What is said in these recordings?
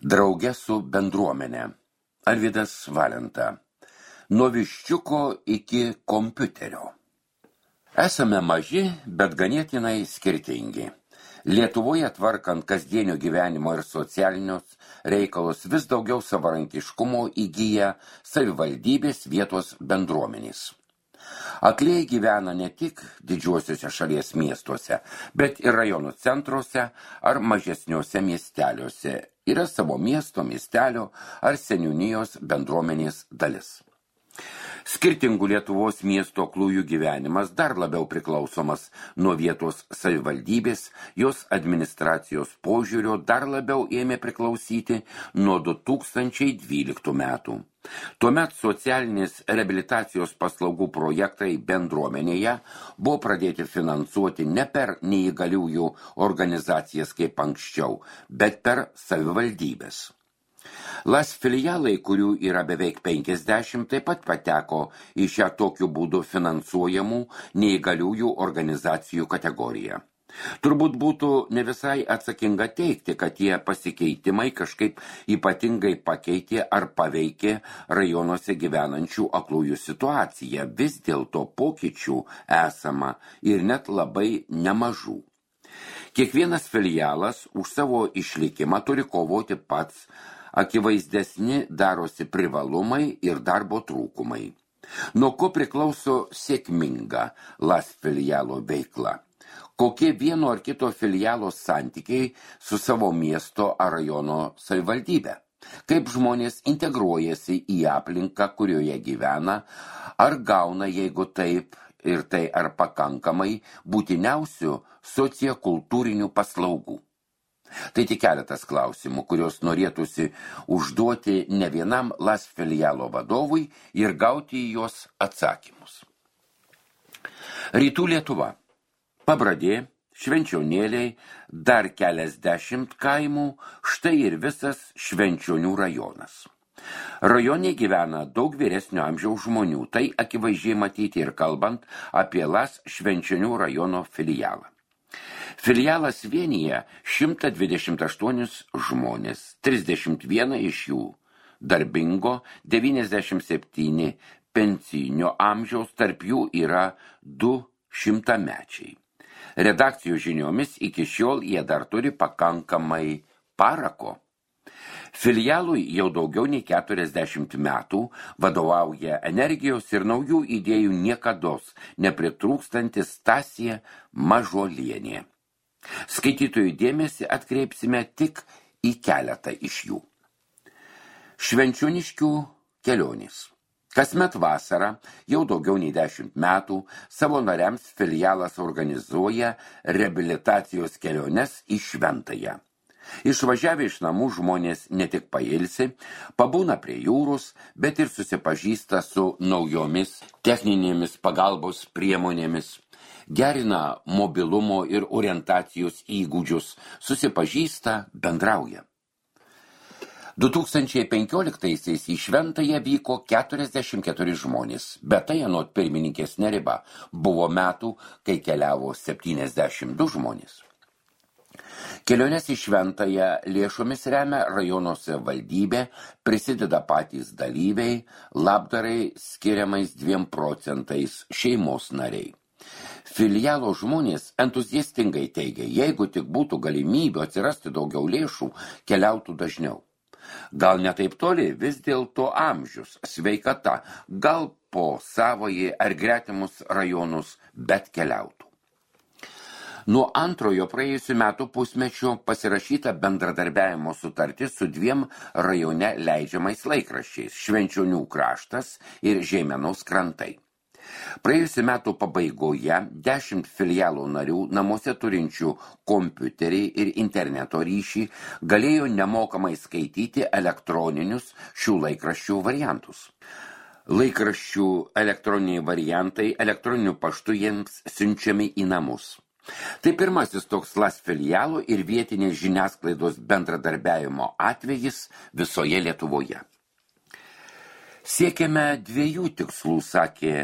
Drauge su bendruomenė. Arvydas Valenta. Nuo viščiuko iki kompiuterio. Esame maži, bet ganėtinai skirtingi. Lietuvoje tvarkant kasdienio gyvenimo ir socialinius reikalus vis daugiau savarankiškumo įgyja savivaldybės vietos bendruomenės. Aklieji gyvena ne tik didžiuosiuose šalies miestuose, bet ir rajonų centruose ar mažesniuose miesteliuose. Yra savo miesto, miestelio ar seniūnijos bendruomenės dalis. Skirtingų Lietuvos miesto aklųjų gyvenimas dar labiau priklausomas nuo vietos savivaldybės, jos administracijos požiūrio dar labiau ėmė priklausyti nuo 2012 metų. Tuomet socialinės reabilitacijos paslaugų projektai bendruomenėje buvo pradėti finansuoti ne per neįgaliųjų organizacijas kaip anksčiau, bet per savivaldybės. LAS filialai, kurių yra beveik 50, taip pat pateko į šią tokiu būdu finansuojamų neįgaliųjų organizacijų kategoriją. Turbūt būtų ne visai atsakinga teigti, kad tie pasikeitimai kažkaip ypatingai pakeitė ar paveikė rajonuose gyvenančių aklųjų situaciją. Vis dėlto pokyčių esama ir net labai nemažų. Kiekvienas filialas už savo išlikimą turi kovoti pats, akivaizdesni darosi privalumai ir darbo trūkumai. Nuo ko priklauso sėkminga LAS filialo veikla? Kokie vieno ar kito filialo santykiai su savo miesto ar rajono savivaldybė? Kaip žmonės integruojasi į aplinką, kurioje gyvena, ar gauna, jeigu taip ir tai ar pakankamai, būtiniausių sociokultūrinių paslaugų? Tai tik keletas klausimų, kuriuos norėtųsi užduoti ne vienam LAS filialo vadovui ir gauti į juos atsakymus. Rytų Lietuva. Pabradė, Švenčionėliai, dar keliasdešimt kaimų, štai ir visas Švenčionių rajonas. Rajone gyvena daug vyresnio amžiaus žmonių, tai akivaizdžiai matyti ir kalbant apie LAS Švenčionių rajono filialą. Filialas vienyje 128 žmonės, 31 iš jų darbingo, 97 pensijinio amžiaus, tarp jų yra 200-mečiai. Redakcijų žiniomis iki šiol jie dar turi pakankamai parako. Filialui jau daugiau nei 40 metų vadovauja energijos ir naujų idėjų niekados nepritrūkstantis Stasė Mažuolienė. Skaitytojų dėmesį atkreipsime tik į keletą iš jų. Švenčioniškių kelionės. Kasmet vasarą, jau daugiau nei 10 metų, savo nariams filialas organizuoja reabilitacijos keliones į Šventąją. Išvažiavę iš namų žmonės ne tik pailsi, pabūna prie jūros, bet ir susipažįsta su naujomis techninėmis pagalbos priemonėmis, gerina mobilumo ir orientacijos įgūdžius, susipažįsta, bendrauja. 2015-aisiais į Šventąją vyko 44 žmonės, bet tai anot pirmininkės Neriba buvo metų, kai keliavo 72 žmonės. Keliones į Šventąją lėšomis remia rajono savivaldybė, prisideda patys dalyviai, labdarai skiriamais 2% šeimos nariai. Filialo žmonės entuziastingai teigia, jeigu tik būtų galimybė atsirasti daugiau lėšų, keliautų dažniau. Gal ne taip toli, vis dėlto amžius, sveikata, gal po savąjį ar gretimus rajonus, bet keliautų. Nuo antrojo praėjusių metų pusmečio pasirašyta bendradarbiavimo sutartis su 2 rajone leidžiamais laikraščiais – Švenčionių kraštas ir Žeimenos krantai. Praėjusių metų pabaigoje 10 filialų narių namuose turinčių kompiuterį ir interneto ryšį galėjo nemokamai skaityti elektroninius šių laikraščių variantus. Laikraščių elektroniniai variantai elektroniniu paštu jiems siunčiami į namus. Tai pirmasis toks LAS filialų ir vietinės žiniasklaidos bendradarbiavimo atvejis visoje Lietuvoje. Siekiame 2 tikslų, sakė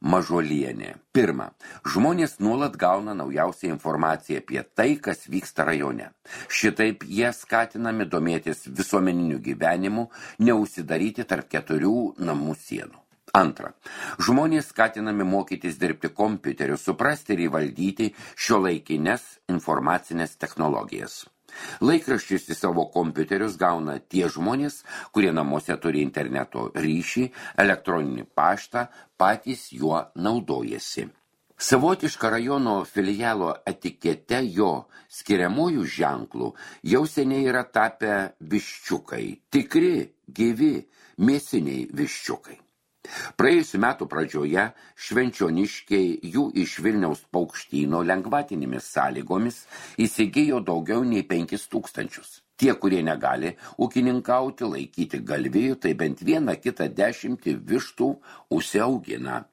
Mažolienė. Pirma, žmonės nuolat gauna naujausią informaciją apie tai, kas vyksta rajone. Šitaip jie skatinami domėtis visuomeniniu gyvenimu, neužsidaryti tarp 4 namų sienų. Antra, žmonės skatinami mokytis dirbti kompiuteriu, suprasti ir įvaldyti šiuolaikines informacinės technologijas. Laikraščius į savo kompiuterius gauna tie žmonės, kurie namuose turi interneto ryšį, elektroninį paštą, patys juo naudojasi. Savotiška rajono filialo etikete jo skiriamųjų ženklų jau seniai yra tapę viščiukai, tikri, gyvi, mėsiniai viščiukai. Praėjusių metų pradžioje švenčioniškiai jų iš Vilniaus paukštyno lengvatinėmis sąlygomis įsigijo daugiau nei 5000. Tie, kurie negali ūkininkauti, laikyti galvijų, tai bent 1-10 vištų užsiaugina.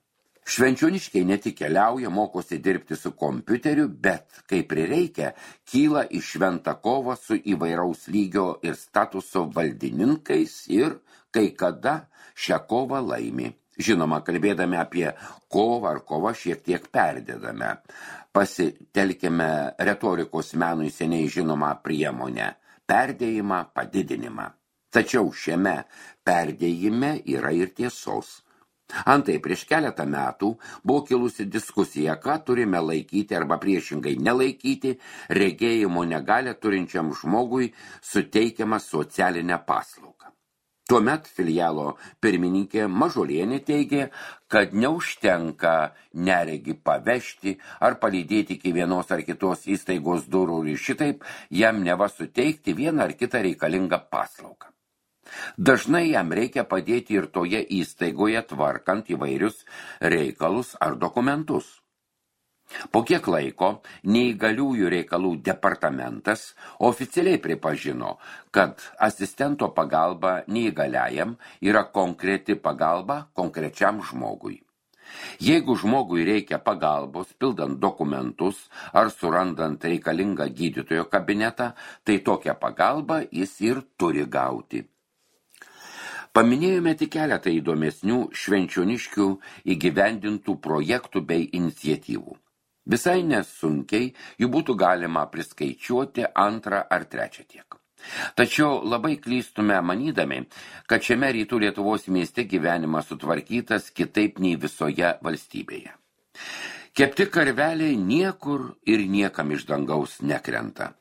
Švenčioniškiai ne tik keliauja, mokosi dirbti su kompiuteriu, bet, kai prireikia, kyla į šventą kovą su įvairaus lygio ir statuso valdininkais ir, kai kada, šią kovą laimi. Žinoma, kalbėdami apie kovą ar kovą šiek tiek perdedame. Pasitelkime retorikos menui seniai žinomą priemonę – perdėjimą, padidinimą. Tačiau šiame perdėjime yra ir tiesos. Antai prieš keletą metų buvo kilusi diskusija, ką turime laikyti arba priešingai nelaikyti regėjimo negalią turinčiam žmogui suteikiamą socialinę paslaugą. Tuomet filialo pirmininkė Mažolienė teigė, kad neužtenka neregį pavežti ar palydėti iki vienos ar kitos įstaigos durų ir šitaip jam neva suteikti vieną ar kitą reikalingą paslaugą. Dažnai jam reikia padėti ir toje įstaigoje tvarkant įvairius reikalus ar dokumentus. Po kiek laiko neįgaliųjų reikalų departamentas oficialiai pripažino, kad asistento pagalba neįgaliajam yra konkreti pagalba konkrečiam žmogui. Jeigu žmogui reikia pagalbos pildant dokumentus ar surandant reikalingą gydytojo kabinetą, tai tokią pagalbą jis ir turi gauti. Paminėjome tik keletą įdomesnių švenčioniškių įgyvendintų projektų bei iniciatyvų. Visai nesunkiai jų būtų galima priskaičiuoti 2 ar 3 tiek. Tačiau labai klystume manydami, kad šiame rytų Lietuvos mieste gyvenimas sutvarkytas kitaip nei visoje valstybėje. Kepti karveliai niekur ir niekam iš dangaus nekrenta.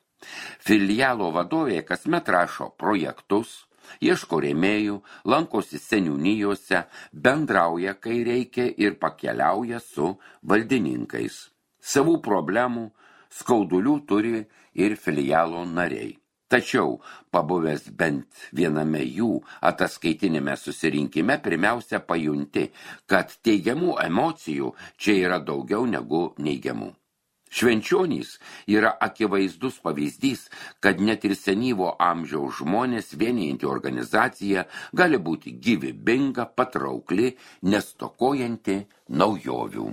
Filialo vadovė kasmet rašo projektus, ieško rėmėjų, lankosi seniūnijose, bendrauja, kai reikia ir pakeliauja su valdininkais. Savų problemų, skaudulių turi ir filialo nariai. Tačiau, pabuvęs bent viename jų ataskaitinėme susirinkime, pirmiausia pajunti, kad teigiamų emocijų čia yra daugiau negu neigiamų. Švenčionys yra akivaizdus pavyzdys, kad net ir senyvo amžiaus žmonės vienijanti organizacija gali būti gyvybinga, patraukli, nestokojanti naujovių.